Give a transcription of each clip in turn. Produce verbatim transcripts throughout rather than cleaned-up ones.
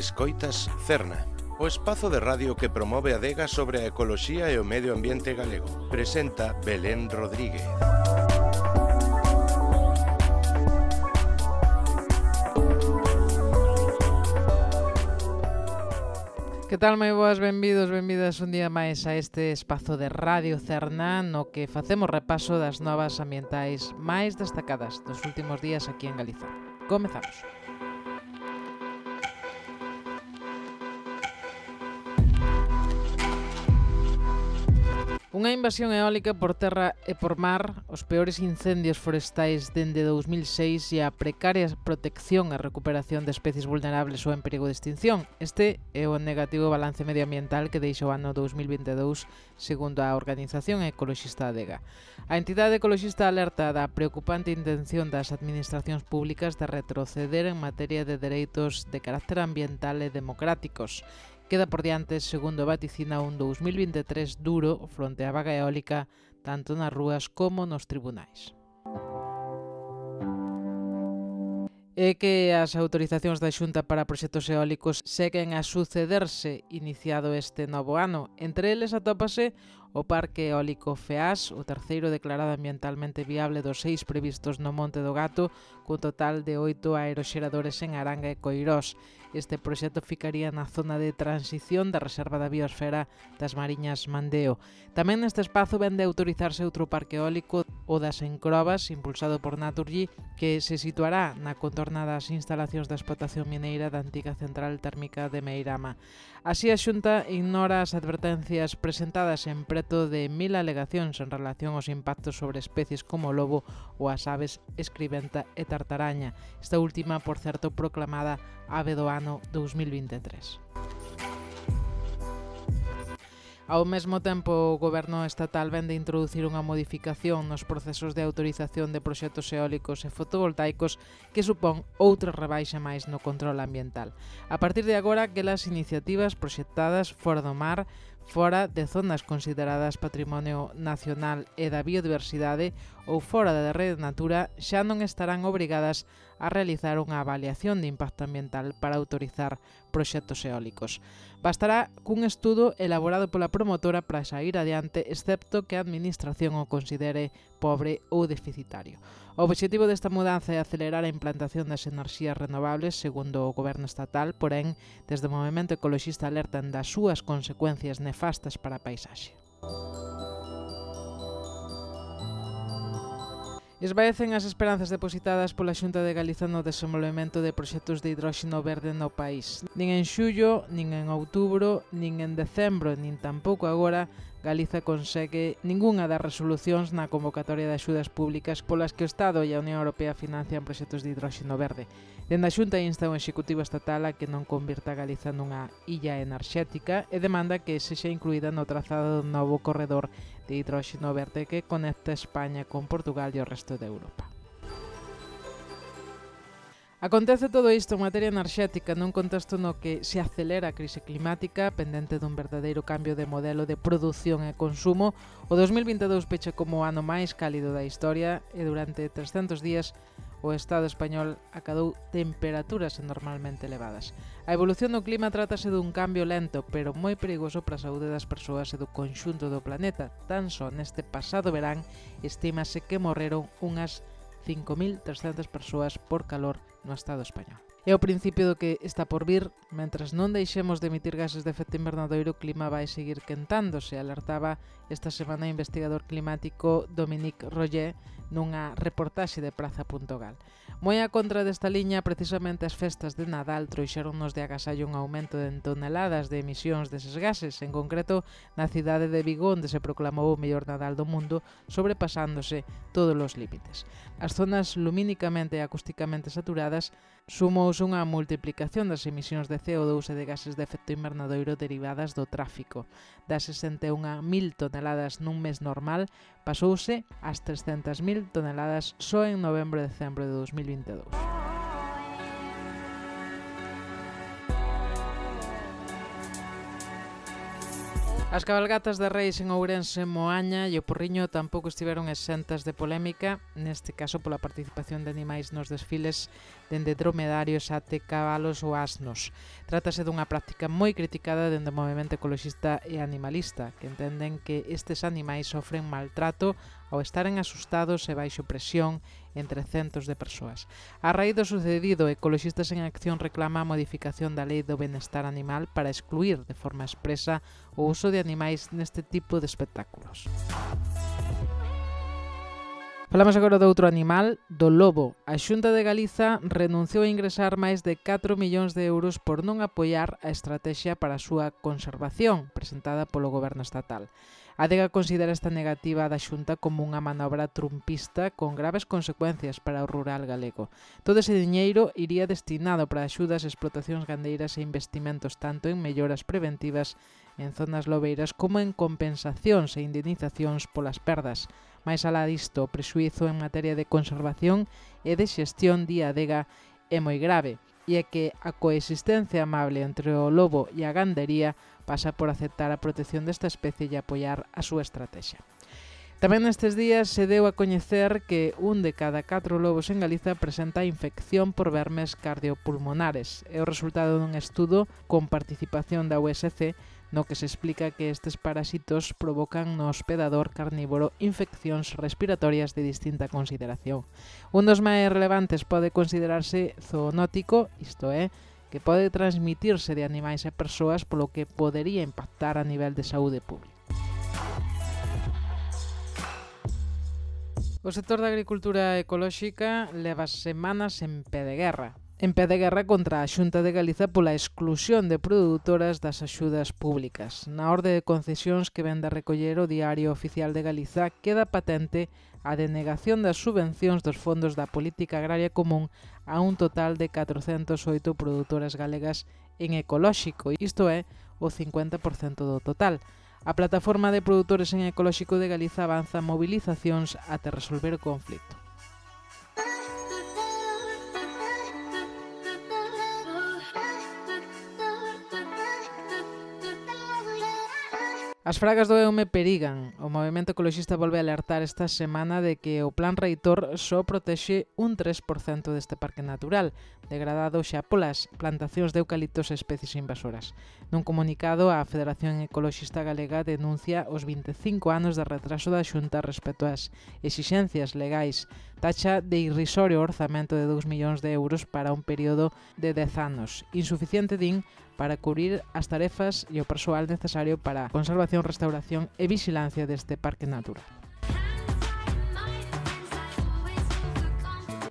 Escoitas Cerna, o espazo de radio que promove a adega sobre a ecoloxía e o medio ambiente galego. Presenta Belén Rodríguez. Que tal, moi boas, benvidos, benvidas un día máis a este espazo de Radio Cerna no que facemos repaso das novas ambientais máis destacadas dos últimos días aquí en Galiza. Comezamos. Unha invasión eólica por terra e por mar, os peores incendios forestais dende dous mil seis e a precaria protección e recuperación de especies vulnerables ou en perigo de extinción. Este é o negativo balance medioambiental que deixa o ano dous mil vinte e dous, segundo a Organización Ecoloxista Adega. A entidade ecoloxista alerta da preocupante intención das administracións públicas de retroceder en materia de dereitos de carácter ambiental e democráticos. Queda por diante, segundo vaticina, un dous mil vinte e tres duro fronte á vaga eólica, tanto nas rúas como nos tribunais. É que as autorizacións da Xunta para proxectos eólicos seguen a sucederse iniciado este novo ano. Entre eles atópase o Parque Eólico Feás, o terceiro declarado ambientalmente viable dos seis previstos no Monte do Gato, cun total de oito aeroxeradores en Aranga e Coirós. Este proxecto ficaría na zona de transición da Reserva da Biosfera das Mariñas Mandeo. Tamén neste espazo vende a autorizarse outro parque eólico, o das Encrobas, impulsado por Naturgy, que se situará na contorna das instalacións da explotación mineira da antiga central térmica de Meirama. Así, a Xunta ignora as advertencias presentadas en preto de mil alegacións en relación aos impactos sobre especies como o lobo ou as aves escribenta e tartaraña. Esta última, por certo, proclamada ave do ano dous mil vinte e tres. Ao mesmo tempo, o Goberno estatal vende introducir unha modificación nos procesos de autorización de proxectos eólicos e fotovoltaicos que supón outra rebaixa máis no control ambiental. A partir de agora, aquelas iniciativas proxectadas fora do mar, fora de zonas consideradas Patrimonio Nacional e da Biodiversidade ou fora da Rede Natura xa non estarán obrigadas a realizar unha avaliación de impacto ambiental para autorizar proxectos eólicos. Bastará cun estudo elaborado pola promotora para sair adiante, excepto que a administración o considere pobre ou deficitario. O obxectivo desta mudanza é acelerar a implantación das enerxías renovables, segundo o Goberno estatal, porén, desde o movemento ecoloxista alertan das súas consecuencias nefastas para a paisaxe. Esvaecen as esperanzas depositadas pola Xunta de Galiza no desenvolvemento de proxectos de hidróxeno verde no país. Nin en xullo, nin en outubro, nin en decembro, nin tampouco agora, Galiza consegue ningunha das resolucións na convocatoria de axudas públicas polas que o Estado e a Unión Europea financian proxectos de hidróxeno verde. Dende a Xunta insta o Executivo Estatal a que non convirta a Galiza nunha illa enerxética e demanda que sexa incluída no trazado do novo corredor de hidróxeno verde que conecta España con Portugal e o resto de Europa. Acontece todo isto en materia enerxética nun contexto no que se acelera a crise climática pendente dun verdadeiro cambio de modelo de produción e consumo. O dous mil vinte e dous pecha como o ano máis cálido da historia e durante trescentos días o Estado español acadou temperaturas anormalmente elevadas. A evolución do clima trátase dun cambio lento, pero moi perigoso para a saúde das persoas e do conxunto do planeta. Tan só neste pasado verán estímase que morreron unhas cinco mil trescentas persoas por calor no Estado español. É o principio do que está por vir. Mentras non deixemos de emitir gases de efecto invernadoiro, o clima vai seguir quentándose, alertaba esta semana o investigador climático Dominique Roger nunha reportaxe de praza punto gal. Moi a contra desta liña, precisamente as festas de Nadal trouxeronnos de agasallo un aumento de toneladas de emisións deses gases, en concreto na cidade de Vigo, onde se proclamou o mellor Nadal do mundo, sobrepasándose todos os límites. As zonas lumínicamente e acústicamente saturadas sumouse unha multiplicación das emisións de C O dous e de gases de efecto invernadoiro derivadas do tráfico. Das sesenta e unha mil toneladas nun mes normal, pasouse ás trescentas mil toneladas só en novembro e decembro de dous mil vinte e dous. As cabalgatas de Reis en Ourense, Moaña e o Porriño tampouco estiveron exentas de polémica, neste caso pola participación de animais nos desfiles dende dromedarios até cabalos ou asnos. Trátase dunha práctica moi criticada dende o movemento ecoloxista e animalista, que entenden que estes animais sofren maltrato ao estaren asustados e baixo presión entre centos de persoas. A raíz do sucedido, Ecoloxistas en Acción reclama a modificación da Lei do Benestar Animal para excluir de forma expresa o uso de animais neste tipo de espectáculos. Falamos agora do outro animal, do lobo. A Xunta de Galiza renunciou a ingresar máis de catro millóns de euros por non apoiar a estrategia para a súa conservación presentada polo goberno estatal. A Adega considera esta negativa da Xunta como unha manobra trumpista con graves consecuencias para o rural galego. Todo ese diñeiro iría destinado para axudas, explotacións gandeiras e investimentos tanto en melloras preventivas en zonas lobeiras como en compensacións e indemnizacións polas perdas. Mais alá disto, o prexuízo en materia de conservación e de xestión di a Adega é moi grave, e é que a coexistencia amable entre o lobo e a gandería pasa por aceptar a protección desta especie e apoiar a súa estrategia. Tamén nestes días se deu a coñecer que un de cada catro lobos en Galiza presenta infección por vermes cardiopulmonares. É o resultado dun estudo con participación da U S C no que se explica que estes parasitos provocan no hospedador carnívoro infeccións respiratorias de distinta consideración. Un dos máis relevantes pode considerarse zoonótico, isto é, que pode transmitirse de animais e persoas, polo que podería impactar a nivel de saúde pública. O sector da agricultura ecolóxica leva semanas en pé de guerra. En pé de guerra contra a Xunta de Galiza pola exclusión de produtoras das axudas públicas. Na orde de concesións que vende a recoller o Diario Oficial de Galiza queda patente a denegación das subvencións dos fondos da Política Agraria Común a un total de catrocentas oito produtoras galegas en ecolóxico, isto é, o cincuenta por cento do total. A Plataforma de Produtores en Ecolóxico de Galiza avanza movilizacións até resolver o conflito. As fragas do Eume perigan. O movemento ecoloxista volve a alertar esta semana de que o Plan Reitor só protexe un tres por cento deste parque natural, degradado xa polas plantacións de eucaliptos e especies invasoras. Nun comunicado, a Federación Ecoloxista Galega denuncia os vinte e cinco anos de retraso da Xunta respecto ás exixencias legais, taxa de irrisorio orzamento de dous millóns de euros para un período de dez anos, insuficiente, din, para cubrir as tarefas e o persoal necesario para a conservación, restauración e vigilancia deste parque natural.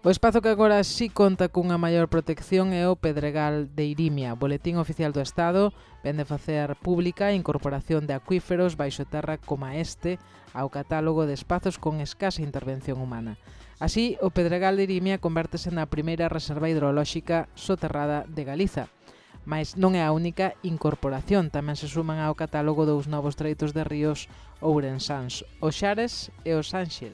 O espazo que agora sí conta cunha maior protección é o Pedregal de Irimia. O Boletín Oficial do Estado vende facer pública a incorporación de acuíferos baixo terra como este ao catálogo de espazos con escasa intervención humana. Así, o Pedregal de Irimia convértese na primeira reserva hidrolóxica soterrada de Galiza. Mais non é a única incorporación, tamén se suman ao catálogo dous novos treitos de ríos ourensáns, o Xares e o Sanxil.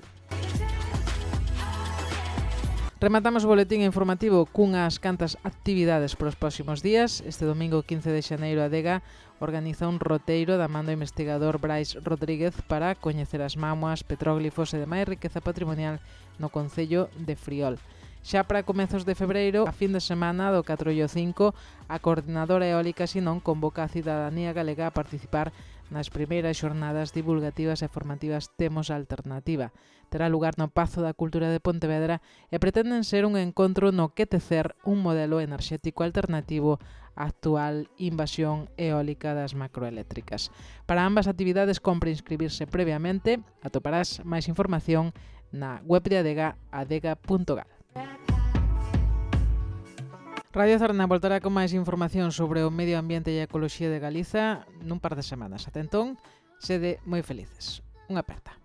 Rematamos o boletín informativo cunhas cantas actividades para os próximos días. Este domingo quince de xaneiro a Adega organiza un roteiro da man do investigador Brais Rodríguez para coñecer as mámoas, petróglifos e demais riqueza patrimonial no concello de Friol. Xa para comezos de febreiro, a fin de semana do catro e o cinco, a Coordinadora Eólica Sinón convoca a cidadanía galega a participar nas primeiras xornadas divulgativas e formativas Temos Alternativa. Terá lugar no Pazo da Cultura de Pontevedra e pretenden ser un encontro no que tecer un modelo enerxético alternativo á actual invasión eólica das macroeléctricas. Para ambas actividades compre inscribirse previamente. Atoparás máis información na web de Adega, adega punto gal. Radio Zarna voltará con máis información sobre o medio ambiente e a ecoloxía de Galiza nun par de semanas. Ata entón, sede moi felices. Unha aperta.